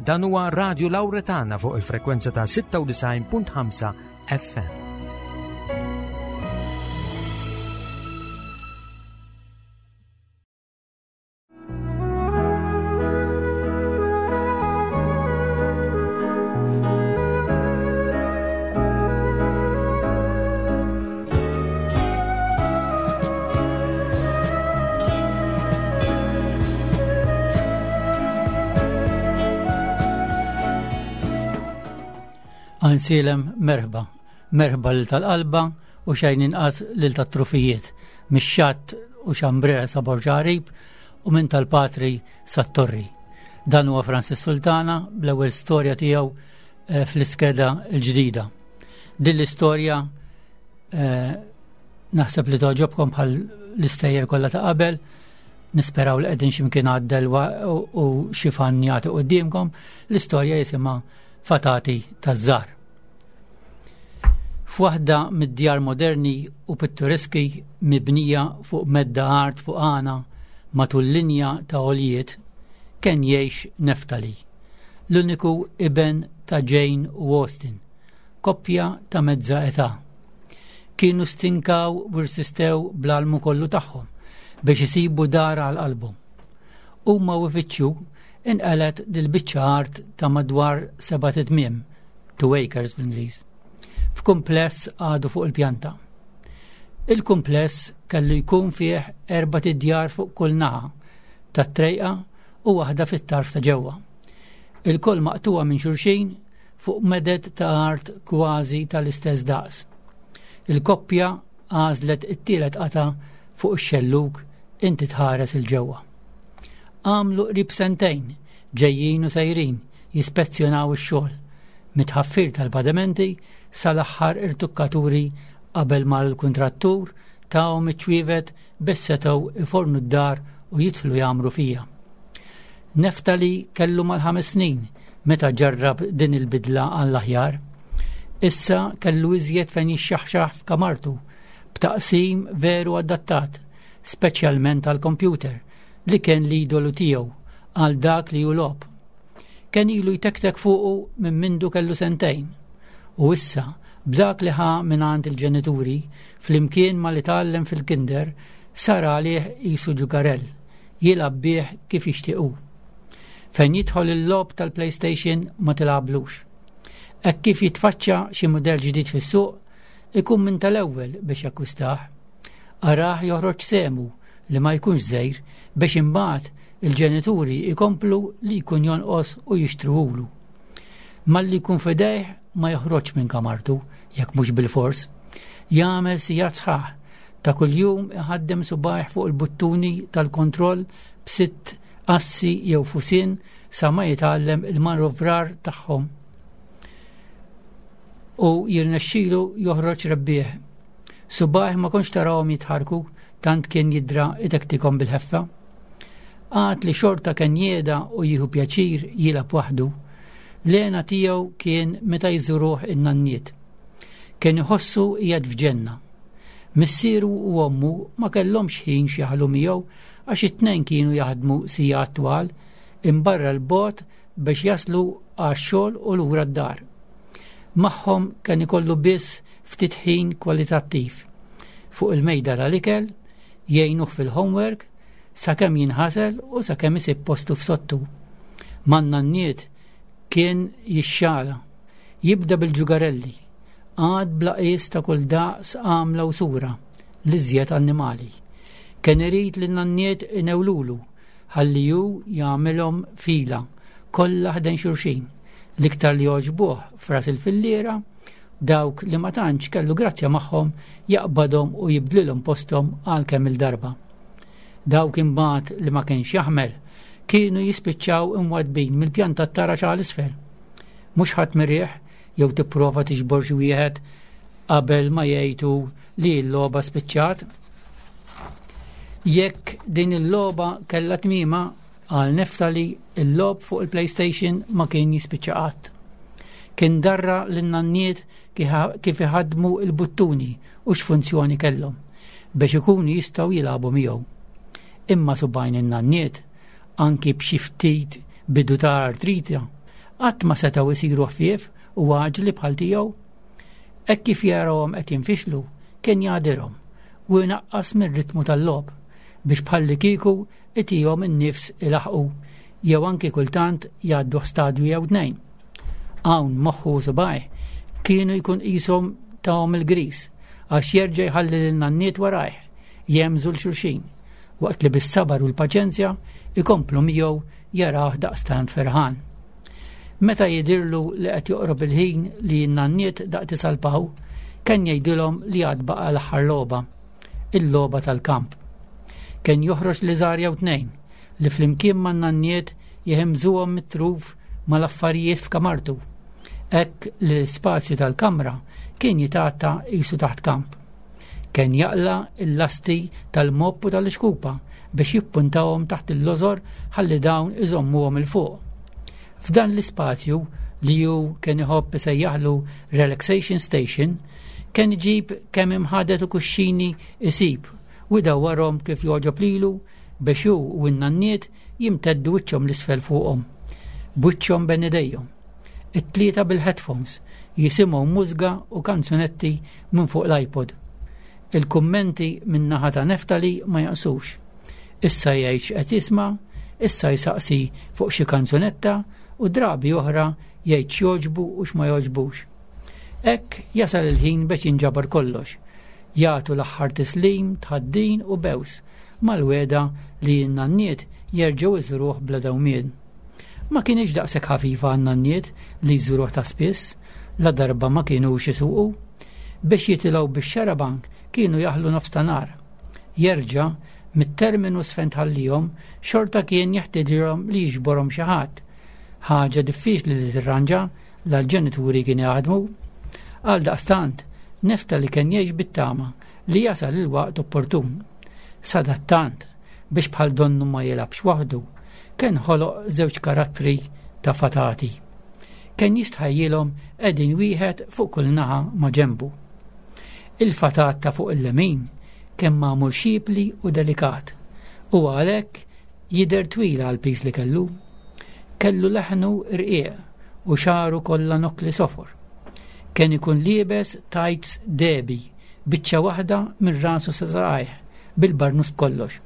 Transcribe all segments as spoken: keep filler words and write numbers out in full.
Dan huwa Radio Lauretana fuq il-frekwenza ta' sitta u disgħin punt ħamsa F M. Għajnsielem, merħba. Merħba lil tal-qalba u xejn inqas lil tat-trufijiet. Mix-xatt u Xambrea sa Borġ Għarib u minn tal-Patri sat-Torri. Dan huwa Francis Sultana bl-ewwel storja tiegħu eh, fl-iskeda l-ġdida. Din l-istorja eh, naħseb li togħġobkom bħal l-istejjer kollha ta' qabel. Nisperaw li qegħdin x'imkien għaddel u xi fan jagħti quddiemkom. L-istorja jisimha Fatati taż-Żgħar. F'waħda mid-djar moderni u pittoreski mibnija fuq medda art fuq għana matul linja ta' għoljiet kien jgħix Neftali, l-uniku iben ta' Jane u Austin, koppja ta' mezza età. Kienu stinkaw u rsistew bl-almu kollu tagħhom biex isibu dar għal qalbhom. Huma u ifittxu, inqalet dil-biċċa art ta' madwar sebat itmiem, two acres bl-Ingliż, f'kumpless għadu fuq il-pjanta. Il-kumpless kellu jkun fih erbat idjar fuq kull naħa tat-trejqa u waħda fit-tarf ta' ġewwa. Il-koll maqtuwa minn xulxin fuq meded ta' art kważi tal-istess daqs. Il-koppja għażlet it-tielet qata fuq ix-xellug, inti tħares 'il ġewwa. Għamlu qrib sentejn ġejjin u sejrin jispezzjonaw ix-xogħol mit-tħaffir tal-pedamenti sal-aħħar irtukkaturi qabel ma l-kuntrattur tahom iċ-ċwievet biex setgħu ifornu d-dar u jidħlu jgħammru fiha. Neftali kellu mal-ħames snin meta ġarrab din il-bidla għall-aħjar. Issa kellu iżjed fejn jixxaħxaħ f'kamartu b'taqsim veru adattat, speċjalment għal-kompjuter li kien l-idolu tiegħu għal dak li hu logħob. Kien ilu jtektek fuqu minn mindu kellu sentejn. U issa, b'dak li ħa minn il-ġenituri, flimkien ma li tgħallem fil-kinder, sar għalih qisu ġugarell, jilgħab bih kif jixtiequ. Fejn jidħol il-logħob tal-PlayStation ma tilgħablux. Hekk kif jitfaċċa xi mudell ġdid fis-suq, ikun minn tal-ewwel biex jakkwistah. Arah joħroġ sehmu li ma jkunx żgħir biex imbagħad il-ġenituri ikomplu li jkun jonqos u jixtruhulu. Malli jkun f'idejh ma joħroġ minn kamartu jekk mhux bil-fors. Jagħmel sigħat sħaħ ta' kuljum iħaddem subgħajh fuq il-buttuni tal-kontroll b'sitt assi jew fusien sa ma jitgħallem il-manovrar tagħhom u jirnexxilu joħroġ rebbieħ. Subgħajh ma kontx tarahom jitħarku tant kien jidra itektikom bil-ħeffa. Għad li xorta kien jeda u jieħu pjaċir jilgħab waħdu, l-hena tiegħu kien meta jżuruh in-nanniet. Kien iħossu qiegħed f'ġenna. Missieru u ommu ma kellhomx ħin x'jaħlu miegħu għax it-tnejn kienu jaħdmu sigħat twal imbarra l-bogħod biex jaslu għax-xogħol u lura d-dar. Magħhom kien ikollu biss ftit ħin kwalitattiv. Fuq il-mejda tal-ikel, jgħinuh fil-homework, sakemm jinħasel u sakemm isib postu f'sodtu. Man-nanniet kien jixxala, jibda bil-ġugarelli, għad bla qies ta' kull daqs, għamla u sura, l-iżjed annimali. Kien irid li n-nanniet inewlulu, ħalli ju jagħmilhom fila, kollha ħdejn xulxin. L-iktar li jogħġbuh fras il-filliera, dawk li ma tantx kellu grazzja magħhom jaqbadhom u jibdlilhom posthom għal kemm il-darba. Dawk imbagħad li ma kienx jaħmel kienu jispiċċaw imwadbin mill-pjanta t-taraġ għal isfel. Mhux ħadd mirieħ jew tipprova tiġbor xi wieħed qabel ma jgħidu li l-logħba spiċċat. Jekk din il-logħba kellha tmiema, għal Neftali il-logħob fuq il-PlayStation ma kien jispiċċa qatt. Kien darra lin-nanniet kif iħadmu il-buttuni u x'funzjoni kellhom biex ikunu jistgħu jilagħbu miegħu. Imma subgħajn in-nanniet, anki b'xi ftit bidu ta' artrita, qatt ma setgħu jsiru ħfief u għaġli bħal tiegħu. Hekk kif jarahom qed jinfixlu, kien jagħdirhom u jnaqqas mir-ritmu tal-logħob biex bħallikieku itihom in-nifs ilaħqu jew anki kultant jgħaddu stadju jew tnejn. Hawn moħħu u subgħajh kienu jkun qishom tahom il-gris għax jerġa' jħalli lin-nanniet warajh jemżu 'l xulxin waqt li bis-sabar u l-paċenzja ikomplu miegħu jarah daqstant ferħan. Meta jidirlu li qed joqrob il-ħin li n-nanniet daqt isalpaw, kien jgħidilhom li għad baqa' l-aħħar logħba, il-logħba tal-kamp. Kien joħroġ liżar jew tnejn li flimkien man-nanniet jehemżuhom mit-truf mal-affarijiet f'kamartu. Hekk li l-spazju tal-kamra kien jitgħatta qisu taħt kamp. Kien jaqla' l-lasti tal-mopp u tal-ixkupa biex jippuntahom taħt il-lożor ħalli dawn iżommuhom 'il fuq. F'dan l-ispazju li hu kien iħobb isejjaħlu Relaxation Station, kien iġib kemm imħaded u kuxxini isib u jdawwarhom kif jogħġob lilu biex hu u n-nanniet jimteddu wiċċhom 'l isfel fuqhom, b'wiċċhom bejn idejhom. It-tlieta bil-headphones jisimgħu mużga u kanzunetti minn fuq l-iPod. Il-kummenti minn naħa ta' Neftali ma jaqsux. Issa jgħid x'qed jisma', issa jsaqsi fuq xi kanzunetta u drabi oħra jgħid x'jogħġbu u x'ma jogħġbux. Hekk jasal il-ħin biex jinġabar kollox. Jagħtu l-aħħar tislim, tħaddin u bews mal-wegħda li n-nanniet jerġgħu iżuruh bla dewmien. Ma kienx daqshekk ħafifa għan-nanniet li jżuruh ta' spiss, la darba ma kienux isuqu. Biex jitilgħu bix-xarabank kienu jaħlu nofs ta' nhar. Jerġa' mit-terminus fejn tħallihom xorta kien jeħtieġilhom li jiġborhom xi ħadd. Ħaġa diffiċli li tirranġa la l-ġenituri kien jaħdmu. Għal daqstant, Neftali kien jgħix bit-tama li jasal il-waqt opportun. Sadattant, biex bħal donnu ma jilgħabx waħdu, kien ħoloq żewġ karattri ta' fatati. Kien jistħajjilhom qegħdin wieħed fuq kull naħa ma' ġenbu. Il-fatat ta' fuq il-lemin kien magħmul xipli u delikat u għalhekk jidher twila għal pis li kellu. Kellu leħnu rqiq u xagħru kollha nokkli sofor. Kien ikun liebes tights dehbi, biċċa waħda minn rasu sa saqajh, bil-barnus b'kollox.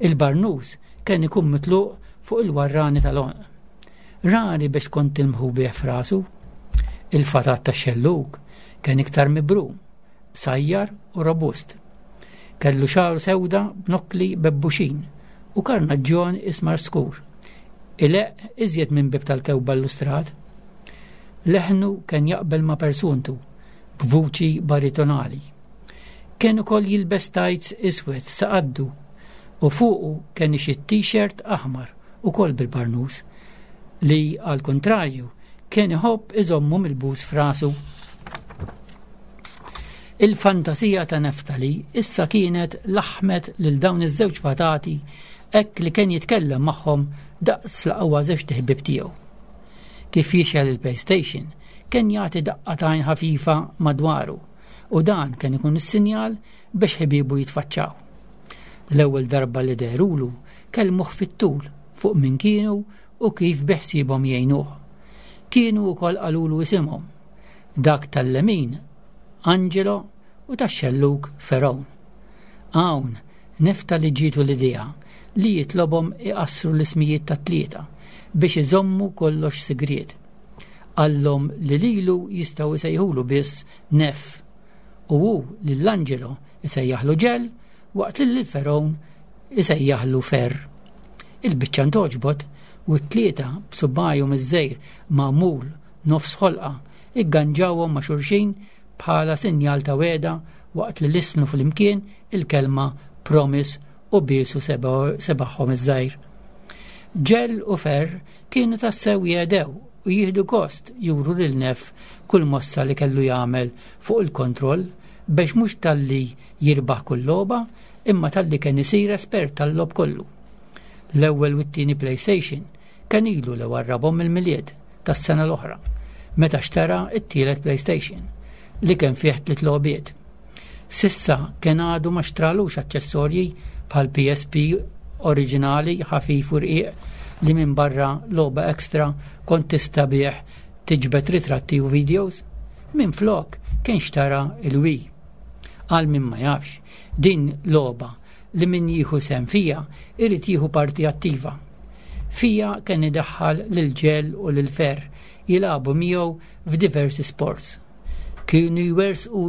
Il-barnus kien ikun mitluq fuq il-warrani tal-għonq. Rari biex kont tilmħu bih f'rasu. Il-fatat tax-xellug kien iktar mibrum, sajjar u robust. Kellu xagħru sewda b'nokkli bebbuxin u karnaġġjon ismar skur. Ileqq iżjed minn bib tal-kewba illustrat. Leħnu kien jaqbel ma' persuntu, b'vuċi baritonali. Kien ukoll jilbes tights iswed sa qaddu u fuqu kien ixi t-t-shirt aħmar ukoll bil-barnus li għal kontrarju kien iħobb iżommu mill-bus f'rasu. Il-fantasija ta' Neftali issa kienet laħmet lil dawn iż-żewġ fatati hekk li kien jitkellem magħhom daqs l-aqwa żewġ ħbieb tiegħu. Kif jixgħel il-PlayStation, kien jagħti daqqa t'għajn ħafifa madwaru u dan kien ikun is-sinjal biex ħbiebu jitfaċċaw. L-ewwel darba li dehrulu kellmuh fit-tul fuq min kienu u kif beħsiebhom jgħinuh. Kienu wkoll qalulu isimhom, dak tal-lemin Angelo u tax-xellug Feron. Hawn Neftali ġietu l-idea li jitlobhom iqassru l-ismijiet tat-tlieta biex iżommu kollox sigriet. Qallhom li lilu jistgħu jsejħulu biss Nef u hu lil Angelo isejjaħlu Ġel waqt li lil Feron isejjaħlu Fer. Il-biċċa ntgħoġbot u t-tlieta b'subgħajhom iż-żgħir magħmul nofs ħolqa igganġawhom ma' xulxin bħala sinjal ta' wegħda waqt li lisnu flimkien il-kelma promise u biesu sebagħhom iż-żgħir. Ġel u Fer kienu tassew jedew u jieħdu gost juru lil Nef kull mossa li kellu jagħmel fuq il-kontroll biex mhux talli jirbaħ kull logħba imma talli kien isir espert tal-logħob kollu. L-ewwel u t-tieni PlayStation kien ilu li warrabhom il-Milied tas-sena l-oħra meta xtara t-tielet PlayStation li kien fih tliet logħbiet. S'issa kien għadu ma xtralux aċċessorji bħal P S P oriġinali ħafif u rqiq li minn barra logħba extra kont tista' bih tiġbed ritratti u videos. Minn flok kien xtara il-Wii. Għal min ma jafx, din logħba li min jieħu sehem fiha irid jieħu parti attiva. Fiha kien idaħħal lil Ġel u lil Fer jilagħbu miegħu f'diversi sports. Kienu jwerżqu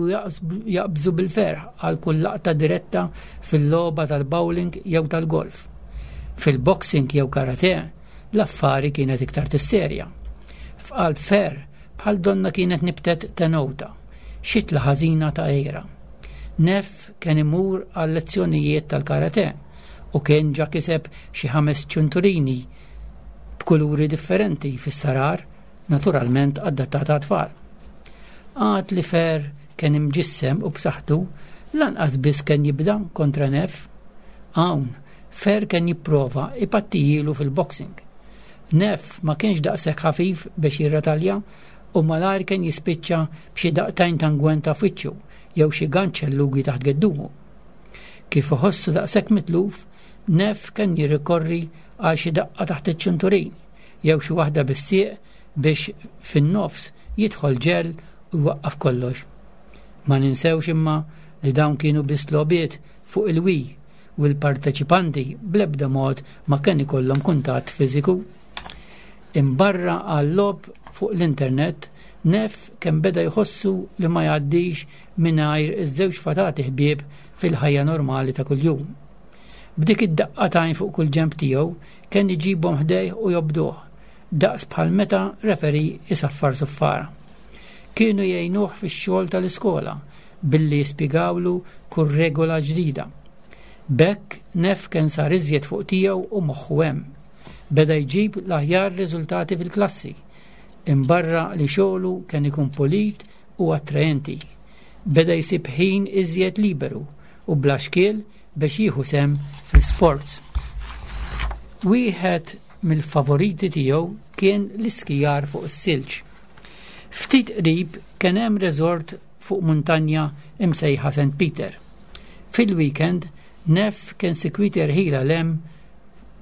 jaqbżu bil-ferħ għal kull laqta diretta fil-logħba tal-bowling jew tal-golf. Fil-boxing jew karate, l-affari kienet iktar tisserja. F'qalb Fer bħal donna kienet nibtet tenowta, xitla ħażina ta' għira. Nef kien imur għal lezzjonijiet tal-karate u kien ġa kiseb xi ħames ċunturini b'kuluri differenti fis-sarar, naturalment adattata tfal. Għad li Fer kien imġissem u b'saħħtu, lanqas biss kien jibda kontra Nef. Hawn, Fer kien jipprova ipattijilu fil-boxing. Nef ma kienx daqshekk ħafif biex jirratalja u malajr kien jispiċċa b'xi daqtajn tangwenta f'wiċċu jew xi ganċellugi taħt geddumu. Kif iħossu daqshekk mitluf, Nef kien jirrikorri għal xi daqqa taħt iċ-ċinturin jew xi waħda bis-sieq biex fin-nofs jidħol Ġel u jwaqqaf kollox. Ma ninsewx imma li dawn kienu biss logħbiet fuq il-Wii u l-parteċipanti bl-ebda mod ma kien ikollhom kuntatt fiżiku. Imbarra għal-logħob fuq l-internet, Nef kien beda jħossu li ma jgħaddix mingħajr iż-żewġ fatati ħbieb fil-ħajja normali ta' kuljum. B'dik id-daqqa t'għajn fuq kull ġenb tiegħu kien iġibhom ħdejh u jobduh, daqs bħal meta referee isaffar suffara. Kienu jgħinuh fix-xogħol tal-iskola billi jispjegawlu kull regola ġdida. B'hekk Nef kien sar iżjed fuq tiegħu u moħħu hemm. Beda jġib l-aħjar riżultati fil-klassi, imbarra li xogħlu kien ikun pulit u attraenti. Beda jsib ħin iżjed liberu u bla xkiel biex jieħu sehem fl-sports. Wieħed mill-favoriti tiegħu kien l-iskijar fuq is-silġ. Ftit qrib kien hemm resort fuq muntanja imsejħa Saint Peter. Fil-weekend, Nef kien sikwit jerħila 'l hemm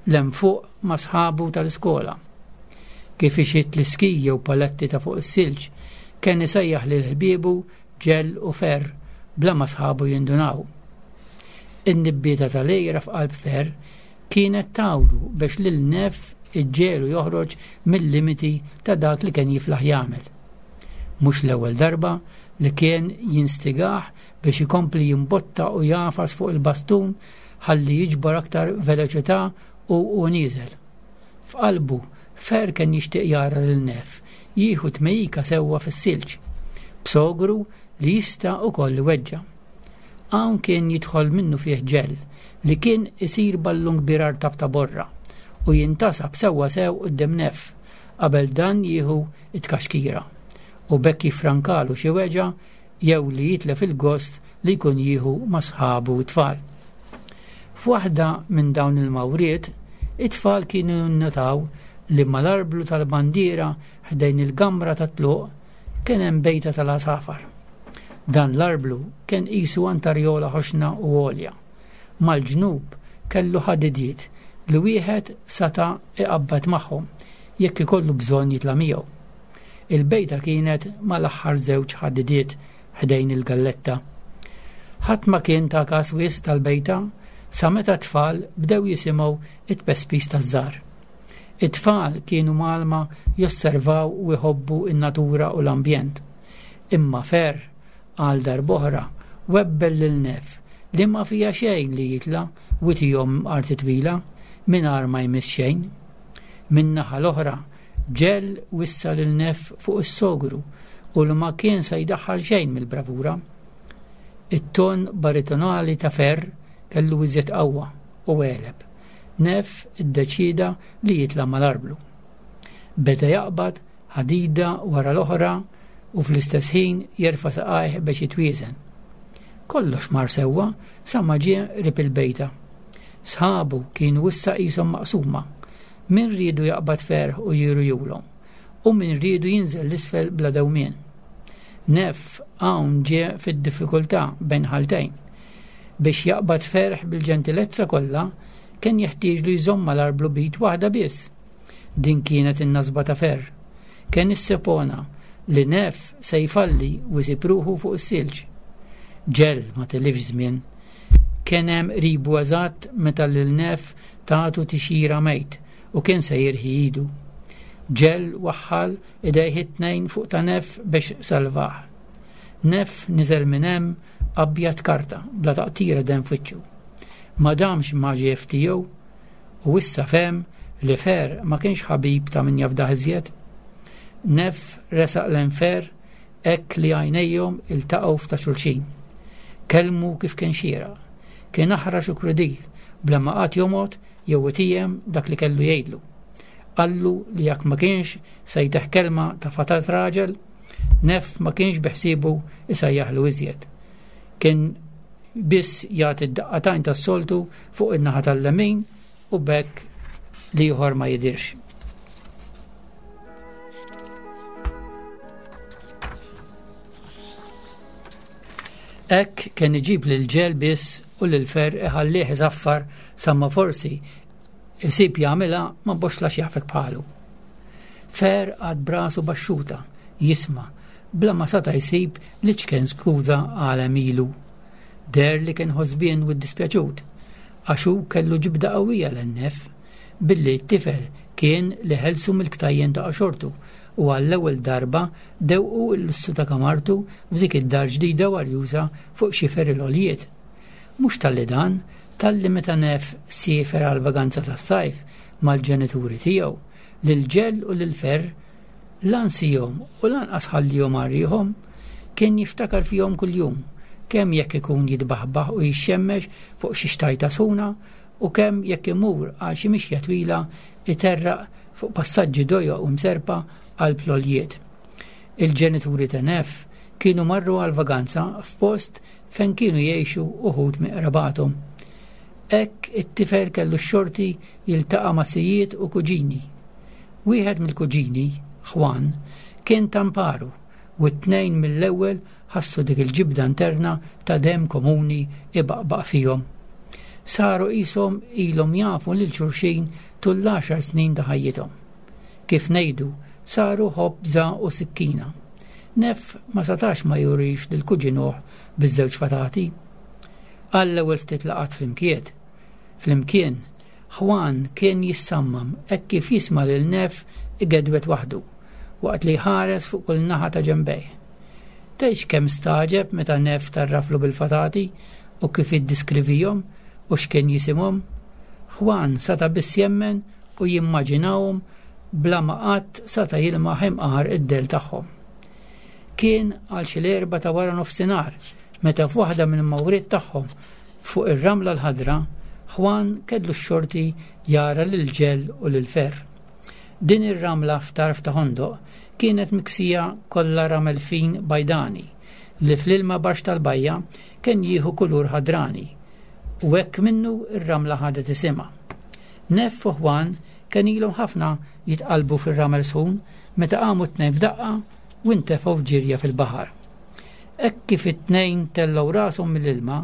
'l hemm fuq ma' sħabu tal-iskola. Kif ixitt l-iski jew paletti ta' fuq is-silġ, kien isejjaħ lil ħbiebu Ġel u Fer bla ma sħabu jindunaw. In-nibbieta tal-għira f'qalb Fer kienet tawru biex lil Nef iġġegħlu joħroġ mill-limiti ta' dak li kien jiflaħ jagħmel. Mhux l-ewwel darba li kien jinstigah biex ikompli jimbotta u jagħfas fuq il-bastun ħalli jiġbor aktar veloċità u u nieżel. F'qalbu Fer kien jixtieq jara lil Nef jieħu tmejjika sewwa fis-silġ, b'sogru li jista' ukoll iweġġa'. Hawn kien jidħol minnu fih Ġel li kien isir ballun kbir artab ta' borra u jintasab sewwa sew quddiem Nef qabel dan jieħu it-kaxkira u b'hekk jifrankalu xi weġgħa jew li jitlef il-gost li jkun jieħu ma' sħabu tfal. F'waħda minn dawn il-mawriet, it-tfal kienu nnotaw li mal-arblu tal-bandiera ħdejn il-gamra tat-tluq kien hemm bejta tal-għasafar. Dan l-arblu kien qisu antarjola ħoxna u għolja. Mal-ġnub kellu ħadidiet li wieħed sata iqabbad magħhom jekk ikollu bżonn jitla' miegħu. Il-bejta kienet mal-aħħar żewġ ħadidiet ħdejn il-galletta. Ħadd ma kien ta' każ wisq tal-bejta sa meta t-tfal bdew jisimgħu it-pespis taż-żgħar. It-tfal kienu mgħallma josservaw u jħobbu in-natura u l-ambjent. Imma Fer għal darb'oħra webbel lil Nef li ma fija xejn li jitla' u jtihom arti twila mingħajr ma jmiss xejn. Min-naħa l-oħra Ġel wissa lil Nef fuq is-sogru u li ma kien se jdaħħal xejn mill-bravura. It-ton baritonali ta' Fer kellu iżjed qawwa u għeleb. Nef iddeċida li jitla' mal-arblu. Beda jaqbad ħadida wara l-oħra u fl-istess ħin jerfa' saqajh biex jitwieżen. Kollox mar sewwa sa ma ġie qrib il-bejta. Sħabu kienu issa qishom maqsuma. Min riedu jaqbad ferħ u jiru julhom, u min riedu jinżel l-isfel bla dewmien. Nef hawn ġie fid-diffikultà bejn ħaltejn. Biex jaqbad ferħ bil-ġentilezza kollha kien jeħtieġlu jżomm mal-arblu b'id waħda biss. Din kienet in-nasba ta' Fer. Kien issepona li Neff se jfalli u jsib ruħu fuq is-silġ. Ġell ma tilifx żmien. Kien hemm qribu eżatt meta lil Neff tagħtu tixjira mejt u kien se jirħi idu. Ġell waħħal idejh it-tnejn fuq ta' Neff biex salvah. Neff niżel minn hemm abjad karta bla taqtira demm f'wiċċu. Ma damx ma ġie tiegħu u issa fehem li Fer ma kienx ħabib ta' min jafdah iżjed. Neff resaq lejn Fer hekk li għajnejhom iltaqgħu f'ta' xulxin. Kellmu kif kien xieraq. Kien aħrax u krudil bla ma qatt jomgħod jew itijem dak li kellu jgħidlu. Qallu li jekk ma kienx se jteħ kelma ta' fatat raġel, Neff ma kienx beħsiebu isajjaħlu iżjed. Kien biss jagħti d-daqqatajn tas-soltu fuq in-naħa tal-lemin u b'hekk l-ieħor ma jidirx. Hekk kien iġib lil Ġell biss u lil Fer iħallih iżaffar sa ma forsi isib jagħmilha ma boxla x'jafek bħalu. Fer għad brasu baxxuta jisma' bla ma sata jsib li ċken skuża għal għemilu. Der li kien ħosbien u ddispjaċut għax hu kellu ġibda qawwija lin-Neff billi t-tifel kien li ħelsu mill-ktajjen ta' xortu u għall-ewwel darba dewqu l-lussu ta' kamartu f'dik id-dar ġdida warjuża fuq xifer il-għoljiet. Mhux talli dan, talli meta Neff siefer għal vaganza tas-sajf mal-ġenituri tiegħu, lil Ġell u lil Fer lansihom u lanqas ħallihom għarrieħhom, kien jiftakar fihom kuljum, kemm jekk ikun jitbaħbaħ u jixxemmex fuq xi xtajta sħuna u kemm jekk imur għal xi mixja twila iterraq fuq passaġġi dojoq u mserpa għal ploljiet. Il-ġenituri ta' Neff kienu marru għal vaganza f'post fejn kienu jgħixu uħud minn qrabathom. Hekk it-tifel kellu x-xorti jiltaqa' ma' sijiet u kuġini. Wieħed mill-kuġini, Juan, kien tamparu u t-tnejn mill-ewwel ħassu dik il-ġibda interna ta' demm komuni ibaqbaq fihom. Saru qishom ilhom jafu lil xulxin tul l-għaxar snin ta' ħajjithom. Kif ngħidu, saru ħobża u sikkina. Neff ma satax ma jurix lil kuġinuh biż-żewġ fatati. Għall-ewwel ftit laqat flimkien. Flimkien, Juan kien jissammam hekk kif jisma' lil Neff igedwet waħdu waqt li jħares fuq kull naħa ta' ġenbejh. Tgħidx kemm staġeb meta Neff tarraflu bil-fatati u kif iddiskrivihom u x'kien jisimhom. Juan sata biss jemmen u jimmaġinahom bla ma qatt sata jilmaħ imqar id-del tagħhom. Kien għal xi l-erba' ta' wara nofsinhar meta f'waħda mill-mawriet tagħhom fuq ir-ramla l-ħadra, Juan kellu x-xorti jara lil Ġell u lil Fer. Din ir-ramla f'tarf ta' ħondoq kienet miksija kollha ramel fin bajdani li fl-ilma baxx tal-bajja kien jieħu kulur ħadrani u hekk minnu ir-ramla ħadet isimha. Neff u Juan kien ilhom ħafna jitqalbu fir-ramel sħun meta qamu t-tnejn f'daqqa u ntefgħu f'ġirja fil-baħar. Hekk kif it-tnejn tellgħu rashom mill-ilma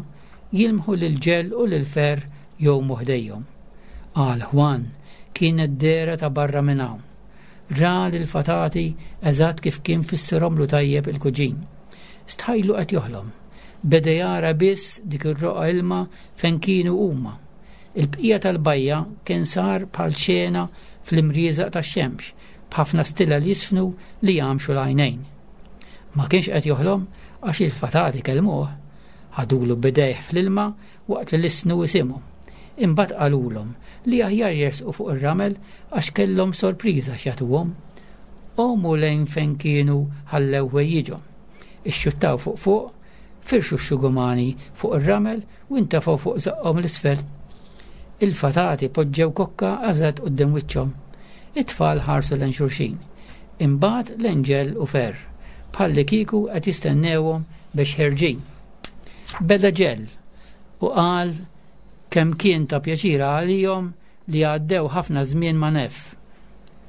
jilmħu lil Ġell u lil Fer jgħumu ħdejhom. Qal Juan kienet dehra ta' barra minn hawn. Ra lil fatati eżatt kif kien fissirhomlu tajjeb il-kuġin. Stħajlu qed joħlom. Beda jara biss dik ir-roqgħa ilma fejn kienu huma. Il-bqija tal-bajja kien sar bħal xena fl-imrieżaq tax-xemx b'ħafna stilla li jisfnu li jagħmxu l-għajnejn. Ma kienx qed joħlom għax il-fatati kellmuh, ħadulu bidejh fl-ilma waqt li lissnu isimhom. Imbagħad qalulhom li aħjar jersqu fuq ir-ramel għax kellhom sorpriża x'jagħtuhom. Qomu lejn fejn kienu ħallew ħwejjiġhom. Ixxuttaw fuq fuq, firxu x-xugumani fuq ir-ramel u intefgħu fuq żaqqhom l-isfel. Il-fatati poġġew kokka għażat quddiem wiċċhom. It-tfal ħarsu lejn xulxin. Imbagħad lejn Ġell u Fer, bħalli kieku qed jistennewhom biex ħerġin. Beda Ġell u qal kemm kien ta' pjaċira għalihom li għaddew ħafna żmien ma' Neff.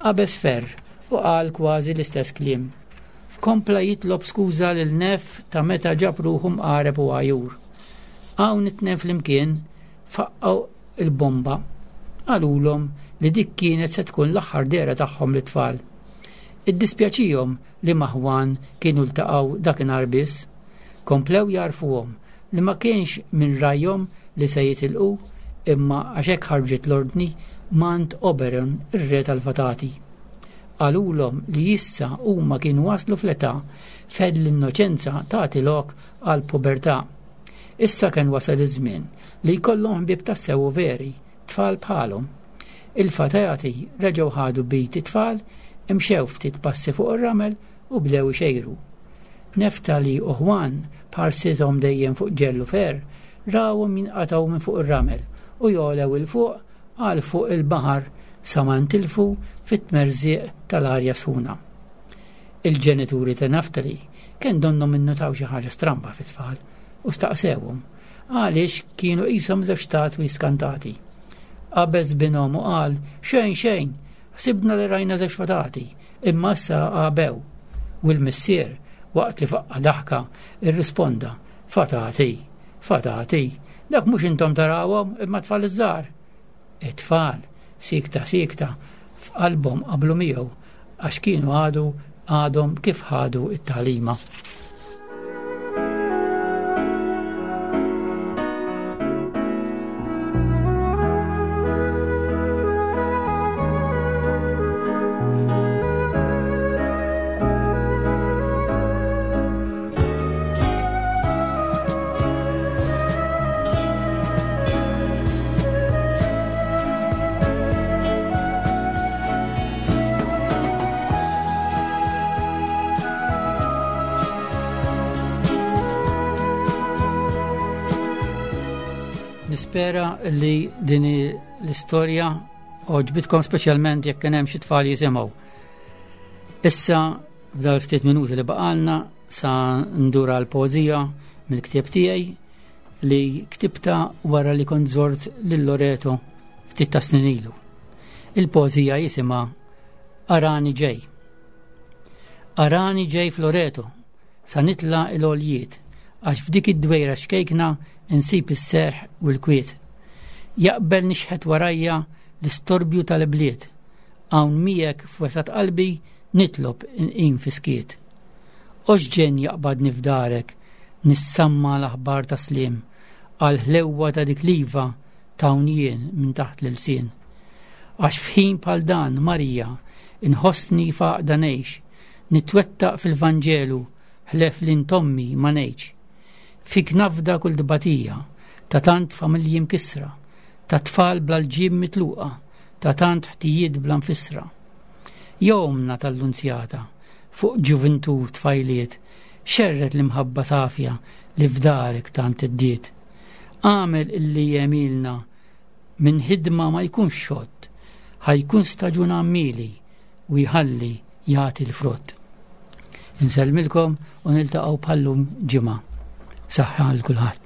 Qabeż Fer u qal kważi l-istess kliem. Kompla jitlob skuża lil Neff ta' meta ġab ruħu mqareb u għajur. Hawn it-tnejn flimkien faqqgħu il-bomba. Qalulhom li dik kienet se tkun l-aħħar dehra tagħhom lit-tfal. Iddispjaċihom li ma' Juan kienu ltaqgħu dakinhar biss. Komplew jgħarrfuhom li ma kienx minn rajhom li se jitilqu imma għax hekk ħarġet l-ordni m'għand Oberon ir-re tal-fatati. Qalulhom li issa huma kienu waslu fl-età fejn l-innoċenza tagħti lok għal pubertà. Issa kien wasal iż-żmien li jkollhom ħbieb tassew veri, tfal bħalhom. Il-fatati reġgħu ħadu b'id it-tfal, imxew ftit passi fuq ir-ramel u bdew ixejru. Neftali u Juan b'ħarsithom dejjem fuq ġellu fer, rawhom jinqatgħu minn fuq ir-ramel u jogħlew 'il fuq għal fuq il-baħar sa ma ntilfu fit-tmerżiq tal-arja sħuna. Il-ġenituri ta' Naftali kien donnhom innutaw xi ħaġa stramba fit-tfal u staqsewhom għaliex kienu qishom żewġ statwi skantati. Qabeż binhom u qal xejn xejn, ħsibna li rajna żewġ fatati, imma issa għabew. U l-missier, waqt li faqqa daħka, irrisponda, fatati, fatati, dak mhux intom tarawhom imma tfal iż-żgħar. It-tfal, sikta sikta, f'qalbhom qablu miegħu għax kienu għadu għadhom kif ħadu it-tagħlima. Nispera li din l-istorja għoġbitkom, speċjalment jekk kien hemm xi tfal jisimgħu. Issa f'dal ftit minuti li baqalna sa ndura l-poeżija mill-ktieb tiegħi li ktibta wara li kont żort lil Loreto ftit ta' snin ilu. Il-poeżija jisimha Arani ġej. Arani ġej f'Loreto, sa nitla' l-għoljiet, għax f'dik id-dwejra xkejkna insib is-serħ u l-kwiet. Jaqbel nixħet warajja l-istorbju tal-bliet, hawn miegħek f'wesat qalbi nitlob inqim fi skiet. Oxġen jaqbadni f'darek, nissamma l-aħbar ta' slim, għal ħlewwa ta' dik liva t'hawn jien minn taħt l-ilsien. Għax f'ħin bħal dan, Marija, inħossni f'għaqda ngħix, nitwettaq fil-Vanġelu, ħlef li ntommi ma ngħidx. Fik nafda kull dbatija, ta' tant familji mkissra, ta' tfal bla lġiem mitluqa, ta' tant ħtijiet bla nfissra. Jomna tal-Lunzjata, fuq ġuvintur tfajliet, xerret l-imħabba safja li f'darek tant iddiet. Għamel illi jemilna minn ħidma ma jkunx xott, ħajkun staġun għammili u jħalli jagħti l-frott. Insellmilkom u niltaqgħu bħallum ġimgħa. Saħħa għal kulħadd.